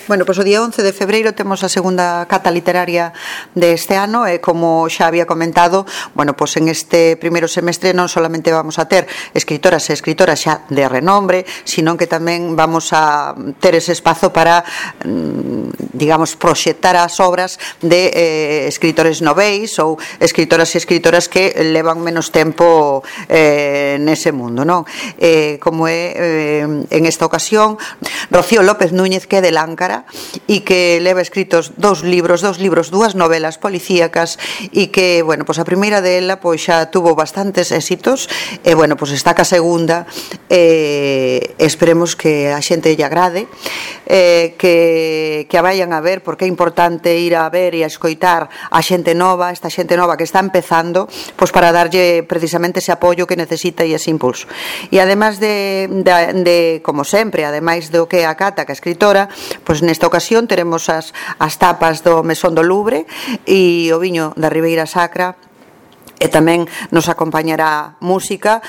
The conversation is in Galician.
Bueno, pois o día 11 de febreiro temos a segunda cata literaria deste ano e como xa había comentado, bueno, pois en este primeiro semestre non solamente vamos a ter escritoras e escritoras xa de renombre, sino que tamén vamos a ter ese espazo para, digamos, proxectar as obras de escritores noveis ou escritoras e escritoras que levan menos tempo nese mundo, non? Como é en esta ocasión Rocío López Núñez, que é de Láncara e que leva escritos dúas novelas policíacas e que, bueno, pois a primeira dela pois xa tuvo bastantes éxitos e, bueno, pois está ca segunda esperemos que a xente lle agrade que a vayan a ver porque é importante ir a ver e a escoitar a xente nova, esta xente nova que está empezando, pois para darlle precisamente ese apoio que necesita e ese impulso. E ademais de como sempre, ademais do que a Cata, que é escritora, pois nesta ocasión teremos as tapas do Mesón do Louvre e o viño da Ribeira Sacra e tamén nos acompañará música.